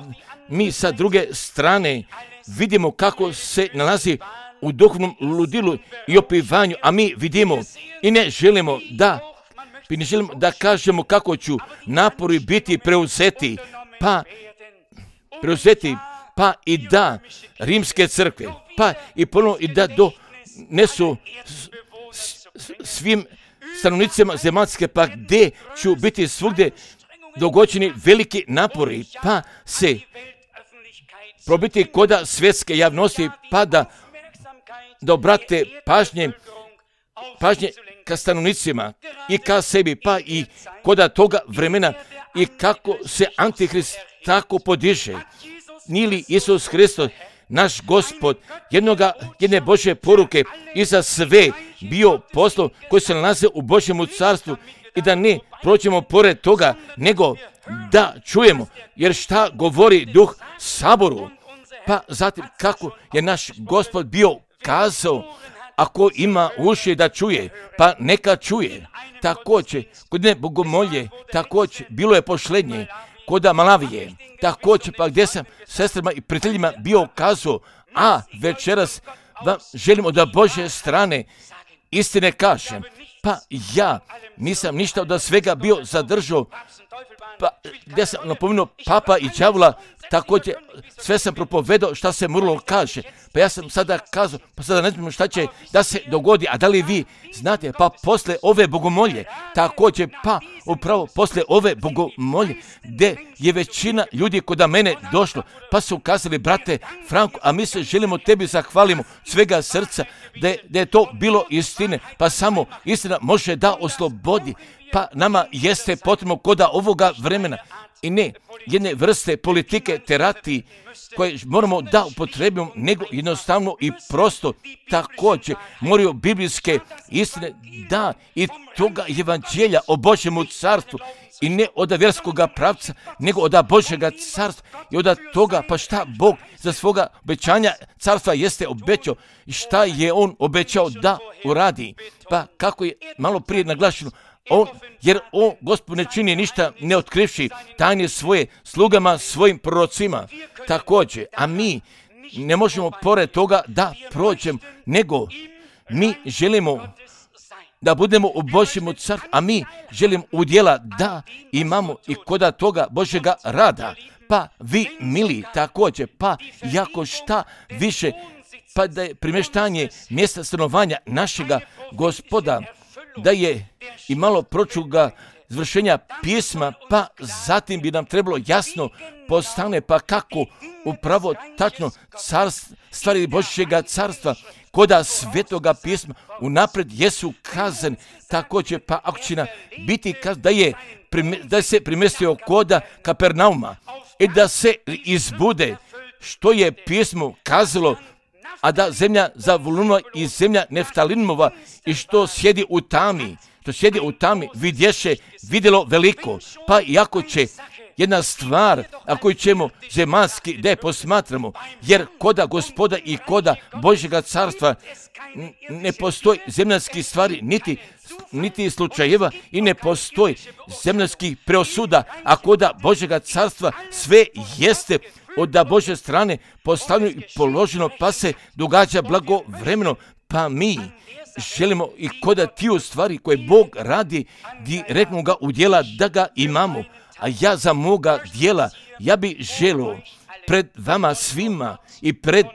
mi sa druge strane vidimo kako se nalazi u duhovnom ludilu i opivanju, a mi vidimo i ne želimo da I ne želimo da kažemo kako ću napori biti preuzeti, pa preuzeti, pa i da rimske crkve, pa i ponovno i da donesu svim stanovnicima zemaljske, pa gdje ću biti svugdje dogođeni veliki napori, pa se probiti koda svjetske javnosti, pa da, da obrate pažnje, pažnje ka stanovnicima i ka sebi, pa i koda toga vremena i kako se Antihrist tako podiže. Nije li Isus Hristos, naš Gospod, jednoga, jedne Božje poruke i za sve bio poslov koji se nalaze u Božjemu carstvu i da ne prođemo pored toga, nego da čujemo, jer šta govori Duh Saboru, pa zatim kako je naš Gospod bio kazao, ako ima uši da čuje, pa neka čuje. Također, kod ne bogomolje, također, bilo je pošlednje, kod Malavije, također, pa gdje sam sestrama i prijateljima bio kazao, a večeras vam želim od Božje strane istine kažem, pa ja nisam ništa od svega bio zadržao, pa gdje sam napomenuo papa i đavola, također sve sam propovedao šta se moralo kaže, pa ja sam sada kazao, pa sada ne znam šta će da se dogodi, a da li vi znate, pa posle ove bogomolje, također pa upravo posle ove bogomolje, gdje je većina ljudi kod mene došlo, pa su kazali, brate Franko, a mi se želimo tebi zahvalimo svega srca, da je, da je to bilo istine, pa samo istina može da oslobodi, pa nama jeste potrebno koda ovoga vremena i ne jedne vrste politike terapiji koje moramo da upotrebimo, nego jednostavno i prosto također moraju biblijske istine da i toga evanđelja o Božjemu carstvu i ne od vjerskoga pravca, nego od Božjega carstva i od toga pa šta Bog za svoga obećanja carstva jeste obećao i šta je On obećao da uradi. Pa kako je malo prije naglašeno, On, jer on, Gospod, ne čini ništa ne otkrivši tajne svoje slugama, svojim prorocima. Također, a mi ne možemo pored toga da prođemo, nego mi želimo da budemo u Božjemu carstvu, a mi želimo udjela da imamo i koda toga Božjega rada. Pa vi, mili, također, pa jako šta više, pa da je primještanje mjesta stanovanja našega Gospoda, da je i malo pročuga izvršenja pisma, pa zatim bi nam trebalo jasno postane, pa kako upravo tačno carst, stvari Božjega carstva, koda svetoga pisma unapred jesu kazan, također pa ako će biti kazan da je da se primestio koda Kapernauma i da se izbude što je pismo kazalo, a da zemlja Zavulunova i zemlja Neftalinova i što sjedi u tami, što sjedi u tami vidješe, vidjelo veliko, pa iako će jedna stvar, a koju ćemo zemaljski da je posmatramo, jer koda Gospoda i koda Božjega carstva ne postoji zemaljskih stvari, niti, niti slučajeva i ne postoji zemaljskih preosuda, a koda Božjega carstva sve jeste od da Božje strane postavljeno i položeno, pa se događa blagovremeno, pa mi želimo i koda tiju stvari koje Bog radi, direktno ga udjela da ga imamo. A ja za moga dijela, ja bi želio pred vama svima i pred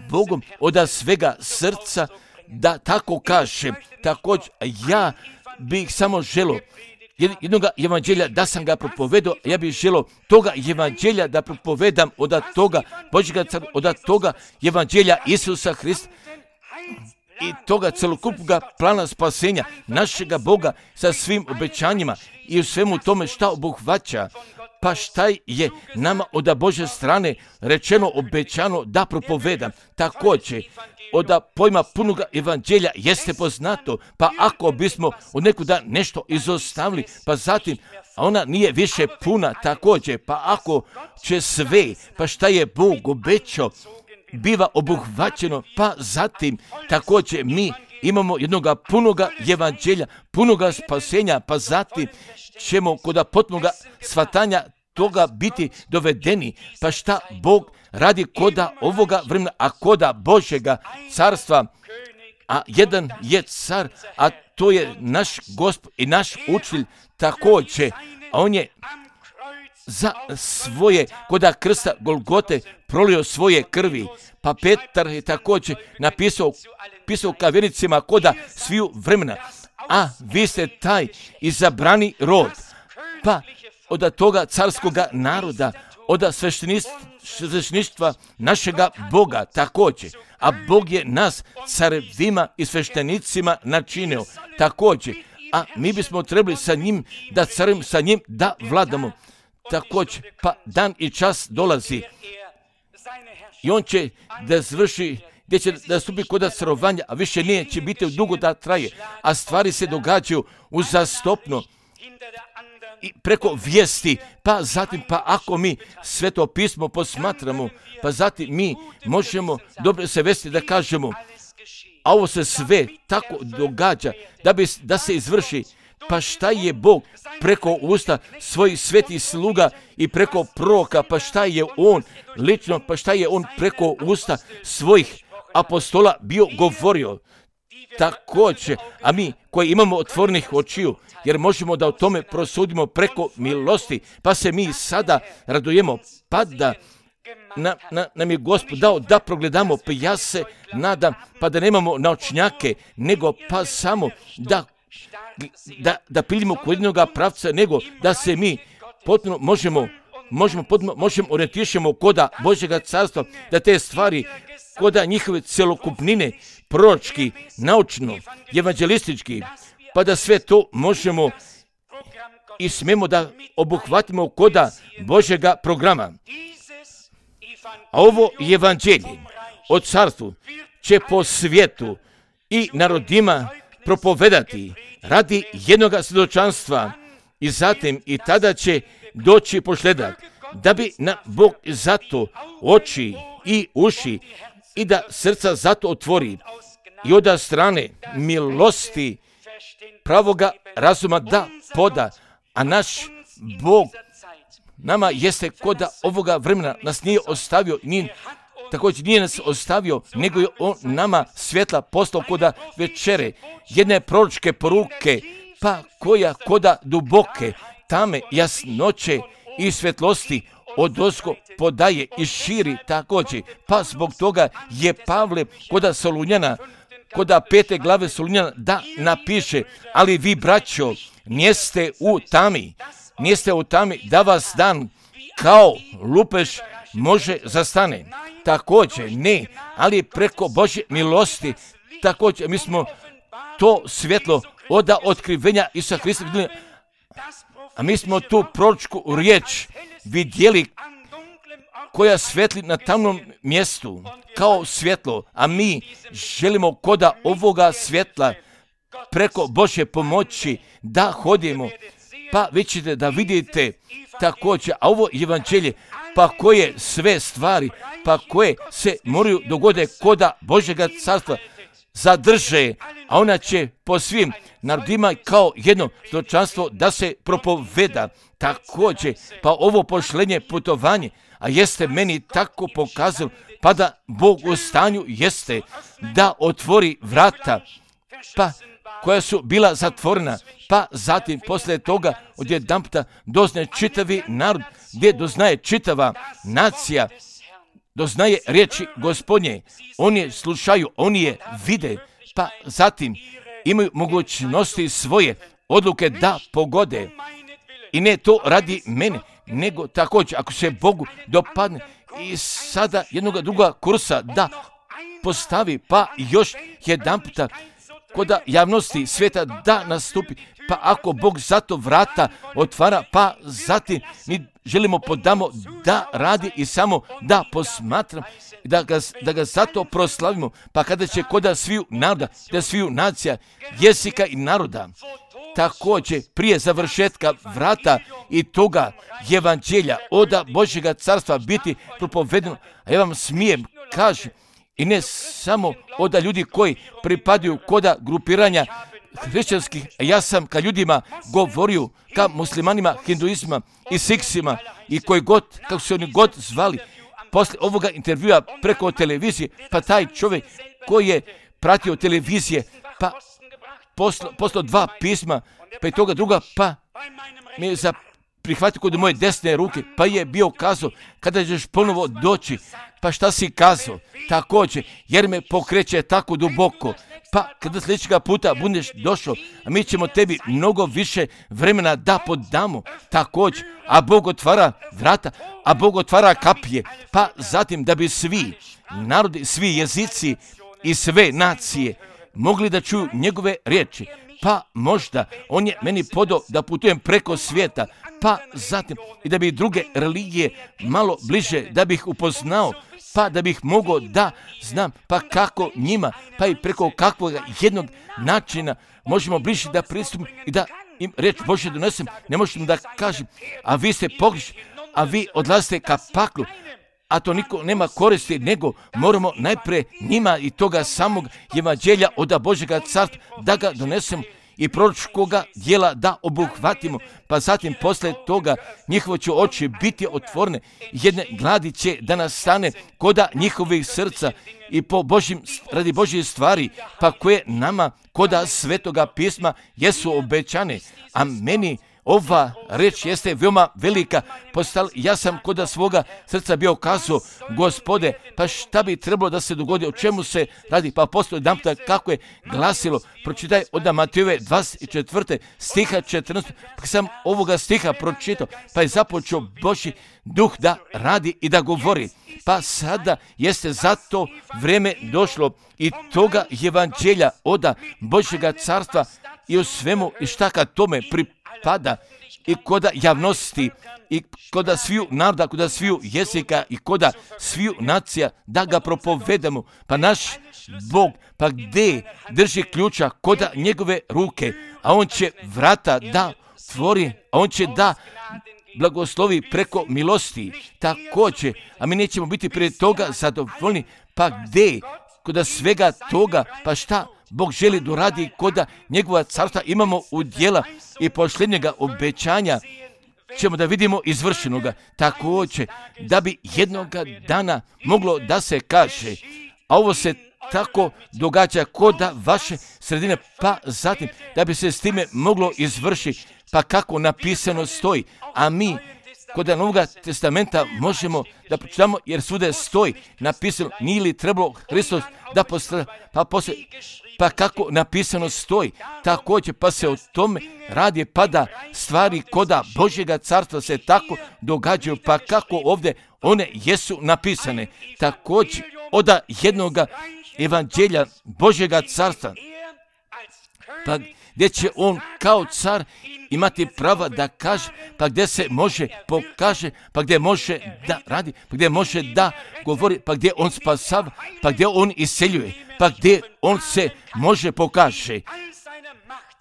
Bogom od svega srca da tako kažem. Također, ja bih samo želio jednog evanđelja da sam ga propovedao, ja bih želio toga evanđelja da propovedam od toga Božjega carstva, od toga evanđelja Isusa Hrista i toga celokupnog plana spasenja našega Boga sa svim obećanjima i u svemu tome šta obuhvaća, pa šta je nama od Božje strane rečeno, obećano da propovedam. Također, od pojma punog evanđelja jeste poznato, pa ako bismo od nekuda nešto izostavili, pa zatim ona nije više puna također, pa ako će sve, pa šta je Bog obećao, biva obuhvaćeno, pa zatim također mi imamo jednoga punoga evanđelja, punoga spasenja, pa zatim ćemo kod potpunoga shvatanja toga biti dovedeni, pa šta Bog radi koda ovoga vremena, a koda Božjega carstva, a jedan je car, a to je naš Gospod i naš učitelj također, a on je za svoje koda krsta Golgote prolio svoje krvi, pa Petar je također napisao pisao ka vjernicima koda sviju vremena, a vi ste taj izabrani rod, pa od toga carskoga naroda, od svešteništva našega Boga također, a Bog je nas carevima i sveštenicima načinio također, a mi bismo trebali sa njim da carujemo, sa njim da vladamo također, pa dan i čas dolazi i on će da zvrši, gdje će da stupi kod carovanja, a više nije će biti dugo da traje, a stvari se događaju uzastopno i preko vijesti, pa zatim, pa ako mi Sveto pismo posmatramo, pa zatim mi možemo dobro se vesti da kažemo, a ovo se sve tako događa da, bi, da se izvrši, pa šta je Bog preko usta svojih svetih sluga i preko proroka, pa šta je on lično, pa šta je on preko usta svojih apostola bio govorio također, a mi koji imamo otvorenih očiju, jer možemo da o tome prosudimo preko milosti, pa se mi sada radujemo, pa da na, na, nam je Gospod dao da progledamo, pa ja se nadam, pa da nemamo naočnjake, nego pa samo da da, da pilimo kod jednoga pravca, nego da se mi potpuno možemo možemo, potpuno, možemo orijentišemo koda Božjega carstva, da te stvari koda njihove celokupnine, proročki, naučno, evanđelistički, pa da sve to možemo i smemo da obuhvatimo koda Božjega programa. A ovo evanđelje o carstvu će po svijetu i narodima propovedati radi jednog svjedočanstva i zatim i tada će doći pošljedak, da bi na Bog zato oči i uši i da srca zato otvori i od strane milosti pravoga razuma da poda, a naš Bog nama jeste koda ovoga vremena nas nije ostavio, nije, također nije nas ostavio, nego je on nama svjetla poslao koda večere, jedne proročke poruke, pa koja koda duboke, tame jasnoće i svjetlosti odozgo podaje i širi također, pa zbog toga je Pavle koda Solunjana, koda pete glave Solunjana da napiše, ali vi braćo, nijeste u tami, nijeste u tami da vas dan kao lupež može zastane. Također ne, ali preko Božje milosti, također mi smo to svjetlo od otkrivenja Isusa Hrista vidjeli, a mi smo tu proročku riječ vidjeli koja svetli na tamnom mjestu kao svjetlo, a mi želimo koda ovoga svjetla preko Božje pomoći da hodimo, pa vi ćete da vidite također, a ovo evanđelje, pa koje sve stvari, pa koje se moraju dogode koda Božjega carstva zadrže, a ona će po svim narodima kao jedno stočanstvo da se propoveda. Također, pa ovo pošlenje putovanje, a jeste meni tako pokazalo, pa da Bog u stanju jeste da otvori vrata, pa koja su bila zatvorena, pa zatim poslije toga odjedanputa dozna čitavi narod, gdje doznaje čitava nacija, doznaje riječi Gospodnje, oni je slušaju, oni je vide, pa zatim imaju mogućnosti svoje odluke da pogode. I ne to radi mene, nego također ako se Bogu dopadne i sada jednoga druga kursa da postavi, pa još jedan puta koda javnosti svijeta da nastupi, pa ako Bog zato vrata otvara, pa zatim mi želimo podamo da radi i samo da posmatram, da ga, da ga zato proslavimo, pa kada će koda sviju naroda, da sviju nacija, jezika i naroda, također prije završetka vrata i toga evanđelja oda Božjega carstva biti propovedeno, a ja vam smijem kažem, i ne samo oda ljudi koji pripadaju koda grupiranja hrišćanskih, ja sam ka ljudima govorio, ka muslimanima, hinduisma i siksima i koji god, kako se oni god zvali, posle ovoga intervjua preko televizije, pa taj čovjek koji je pratio televizije, pa poslo, poslo dva pisma, pa i toga druga, pa mi je za prihvatio kod moje desne ruke, pa je bio kazao, kada ćeš ponovo doći, pa šta si kazao, također, jer me pokreće tako duboko, pa kada sljedećega puta budeš došao, a mi ćemo tebi mnogo više vremena da podamo, također, a Bog otvara vrata, a Bog otvara kapije, pa zatim da bi svi narodi, svi jezici i sve nacije mogli da čuju njegove riječi, pa možda on je meni podao da putujem preko svijeta, pa zatim i da bi druge religije malo bliže, da bih upoznao, pa da bih mogao da znam, pa kako njima, pa i preko kakvog jednog načina možemo bliže da pristupimo i da im reč Božje donesem, ne možemo da kažem, a vi ste pogrešni, a vi odlazite ka paklu, a to niko nema koristi, nego moramo najprije njima i toga samog evanđelja od Božjega carstva da ga donesemo i proročkoga djela da obuhvatimo, pa zatim posle toga njihovo će oči biti otvorene, jedne gladi će da nastane koda njihovih srca i po Božjim, radi Božje stvari, pa koje nama koda svetoga pisma jesu obećane, a meni ova reč jeste veoma velika, postala, ja sam koda svoga srca bio kazao, Gospode, pa šta bi trebalo da se dogodi, o čemu se radi, pa postoji jedan puta kako je glasilo, pročitaj od Matejove dvadeset četvrte stiha četrnaestog, pa sam ovoga stiha pročitao, pa je započeo Božji duh da radi i da govori, pa sada jeste zato vrijeme došlo i toga evanđelja oda Božjega carstva i u svemu i šta kad tome pripada i koda javnosti i koda sviju naroda, koda sviju jezika i koda sviju nacija da ga propovedamo. Pa naš Bog, pa gdje drži ključa koda njegove ruke, a on će vrata da tvori, a on će da blagoslovi preko milosti. Također, a mi nećemo biti prije toga zadovoljni, pa gdje koda svega toga, pa šta Bog želi doradi koda njegova carstva imamo u djela i posljednjega obećanja ćemo da vidimo izvršenoga. Također, da bi jednoga dana moglo da se kaže, a ovo se tako događa koda vaše sredine, pa zatim da bi se s time moglo izvršiti, pa kako napisano stoji, a mi kod Novog testamenta možemo da pročitamo, jer svude stoji napisano, nije li trebalo Hristos da postrada, pa poslije, pa kako napisano stoji, također pa se o tome radi, pa da stvari koda Božjega carstva se tako događaju, pa kako ovdje one jesu napisane, također oda jednoga evanđelja Božjega carstva, pa gdje će on kao car imati prava da kaže, pa gdje se može pokaže, pa gdje može da radi, pa gdje može da govori, pa gdje on spasava, pa gdje on iseljuje, pa gdje on se može pokaže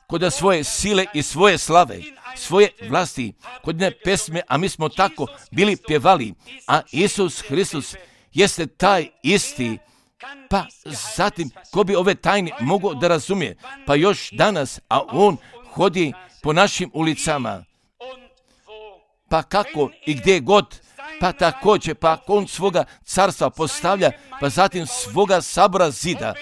koda svoje sile i svoje slave svoje vlasti. Kod ne pesme, a mi smo tako bili pjevali, a Isus Hristos jeste taj isti. Pa zatim, ko bi ove tajne mogao da razumije? Pa još danas, a on hodi po našim ulicama. Pa kako i gdje god, pa također, pa on svoga carstva postavlja, pa zatim svoga sabora zida,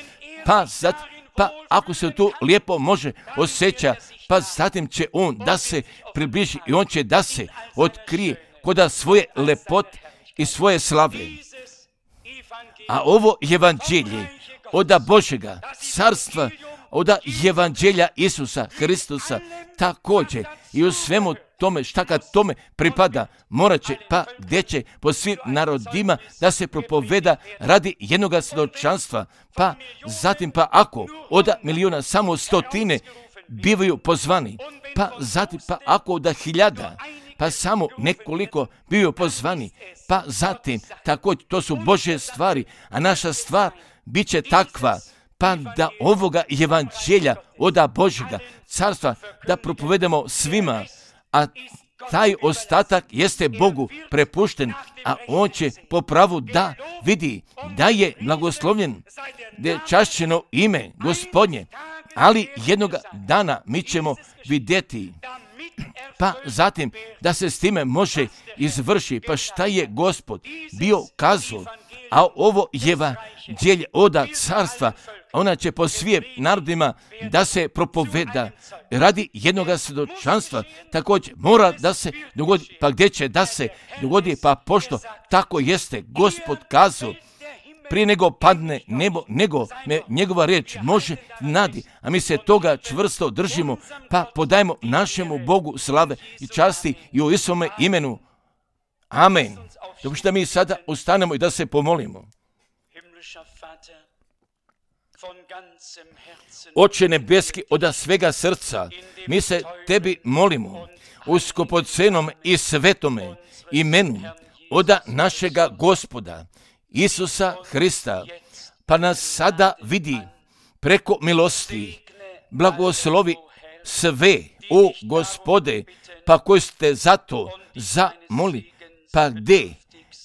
pa zatim, pa ako se tu lijepo može osjeća, pa zatim će on da se približi i on će da se otkrije koda svoje lepote i svoje slave. A ovo evanđelje oda Božega carstva, oda evanđelja Isusa Hristusa, također i u svemu tome šta kad tome pripada, morat će, pa gdje će po svim narodima da se propoveda radi jednoga svjedočanstva, pa zatim pa ako oda milijuna samo stotine bivaju pozvani, pa zatim pa ako oda hiljada, pa samo nekoliko bivaju pozvani, pa zatim također to su Božje stvari, a naša stvar bit će takva, pa da ovoga evanđelja oda Božjega carstva da propovedamo svima, a taj ostatak jeste Bogu prepušten, a on će po pravu da vidi da je blagoslovljen, da je čašćeno ime Gospodnje, ali jednoga dana mi ćemo vidjeti, pa zatim da se s time može izvrši, pa šta je Gospod bio kazao, a ovo evanđelje oda carstva, ona će po svim narodima da se propoveda radi jednoga svjedočanstva, također mora da se dogodi, pa gdje će da se dogodi, pa pošto tako jeste Gospod kazao, prije nego padne nebo, nego me njegova riječ može nadi, a mi se toga čvrsto držimo, pa podajemo našemu Bogu slave i časti i u Isome imenu. Amen. Dok što mi sada ustanemo i da se pomolimo. Oče nebeski, od svega srca, mi se tebi molimo u skupocenom i svetome imenu od našega Gospoda Isusa Hrista, pa nas sada vidi preko milosti, blagoslovi sve, o Gospode, pa koji ste zato zamoli, pa gdje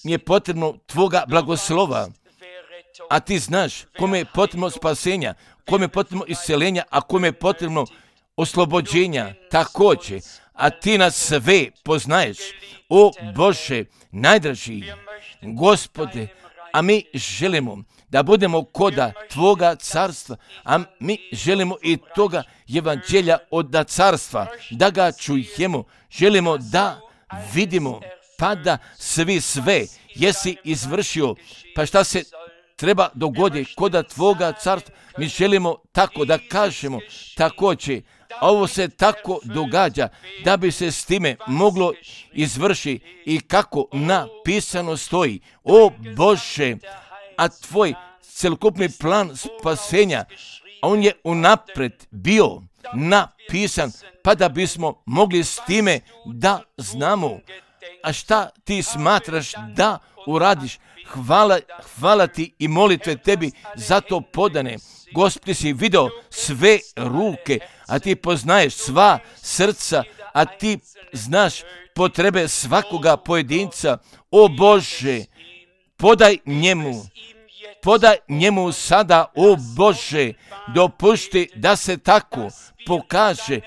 mi je potrebno tvoga blagoslova, a ti znaš kome je potrebno spasenja, kome je potrebno isceljenja, a kome je potrebno oslobođenja također, a ti nas sve poznaješ, o Bože najdraži Gospode, a mi želimo da budemo koda tvoga carstva, a mi želimo i toga evanđelja od carstva, da ga čujemo, želimo da vidimo, pa da svi sve jesi izvršio, pa šta se treba dogoditi koda tvoga carstva, mi želimo tako da kažemo također, a ovo se tako događa da bi se s time moglo izvršiti i kako napisano stoji, o Bože, a tvoj celokupni plan spasenja, on je unaprijed bio napisan, pa da bismo mogli s time da znamo. A šta ti smatraš da uradiš? Hvala, hvala ti i molitve tebi za to podane. Gospod, si video sve ruke, a ti poznaješ sva srca, a ti znaš potrebe svakoga pojedinca. O Bože, podaj njemu, podaj njemu sada, o Bože, dopušti da se tako pokaže,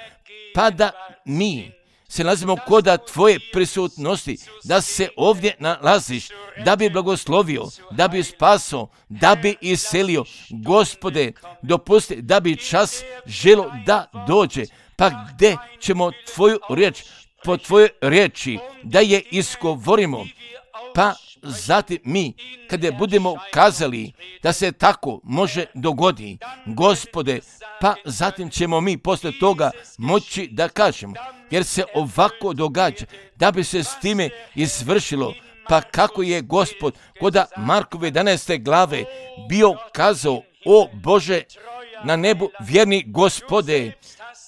pa da mi se nalazimo koda tvoje prisutnosti, da se ovdje nalaziš, da bi blagoslovio, da bi spasao, da bi iselio. Gospode, dopusti da bi čas želo da dođe, pa gdje ćemo tvoju riječ, po tvojoj riječi, da je izgovorimo, pa zatim mi, kada budemo kazali da se tako može dogodi, Gospode, pa zatim ćemo mi poslije toga moći da kažemo, jer se ovako događa, da bi se s time izvršilo, pa kako je Gospod koda Markove jedanaeste glave bio kazao, o Bože na nebu vjerni Gospode,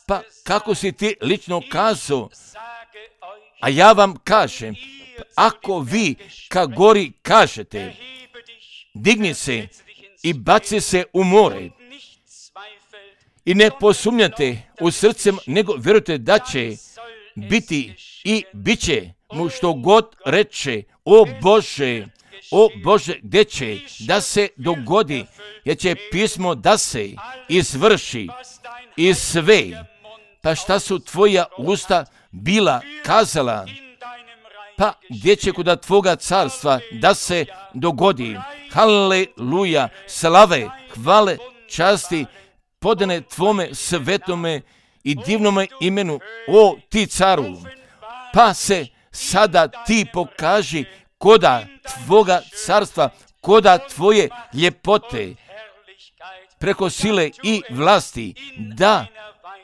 pa kako si ti lično kazao, a ja vam kažem, ako vi ka gori kažete, digni se i baci se u more i ne posumnjate u srcem, nego vjerujte da će biti i bit će mu što god reče. O Bože, o Bože, gdje će da se dogodi, jer će pismo da se izvrši i sve. Pa šta su tvoja usta bila kazala? Pa gdje će kod tvoga carstva da se dogodi? Haleluja, slave, hvale, časti, podane tvome svetome i divnome imenu, o ti caru. Pa se sada ti pokaži koda tvoga carstva, koda tvoje ljepote, preko sile i vlasti, da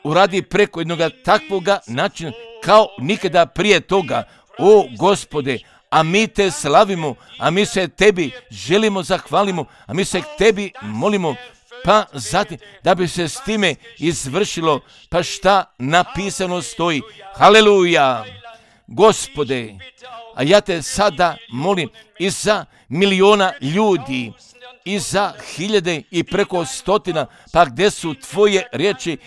uradi preko jednog takvoga načina kao nikada prije toga. O Gospode, a mi te slavimo, a mi se tebi želimo zahvalimo, a mi se k tebi molimo, pa zatim da bi se s time izvršilo, pa šta napisano stoji. Haleluja, Gospode, a ja te sada molim i za miliona ljudi, i za hiljade i preko stotina, pa gdje su tvoje riječi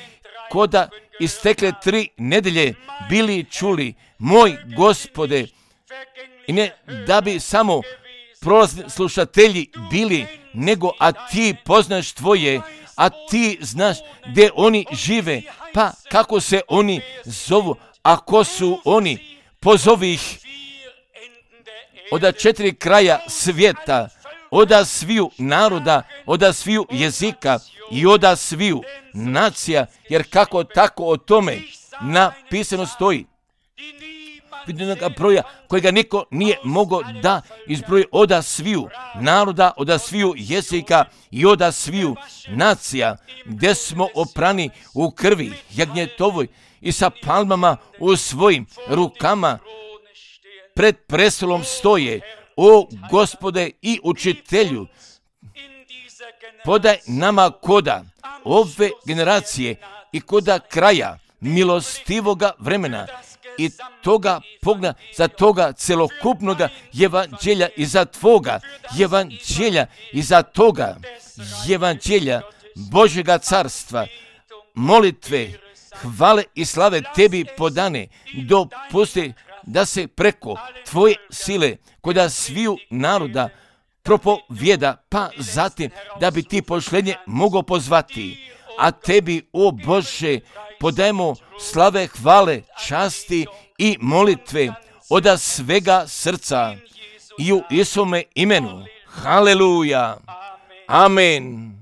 koda istekle tri nedelje bili čuli, moj Gospode, i ne da bi samo prolazni slušatelji bili, nego a ti poznaš tvoje, a ti znaš gdje oni žive, pa kako se oni zovu, a ko su oni, pozovi ih od četiri kraja svijeta, od sviju naroda, od sviju jezika i od sviju nacija, jer kako tako o tome napisano stoji. Vidjenoga broja kojega niko nije mogao da izbroji od sviju naroda, od sviju jezika i od sviju nacija, gdje smo oprani u krvi jagnjetovoj i sa palmama u svojim rukama pred prestolom stoje. O Gospode i učitelju, podaj nama koda ove generacije i koda kraja milostivoga vremena i toga pogleda za toga celokupnoga evanđelja i za tvoga evanđelja i za toga evanđelja Božjega carstva, molitve, hvale i slave tebi podane, dopusti da se preko tvoje sile kod sviju naroda propovjeda, pa zatim da bi ti pošlenje mogao pozvati. A tebi, o Bože, podajemo slave, hvale, časti i molitve od svega srca i u Isome imenu. Haleluja. Amen.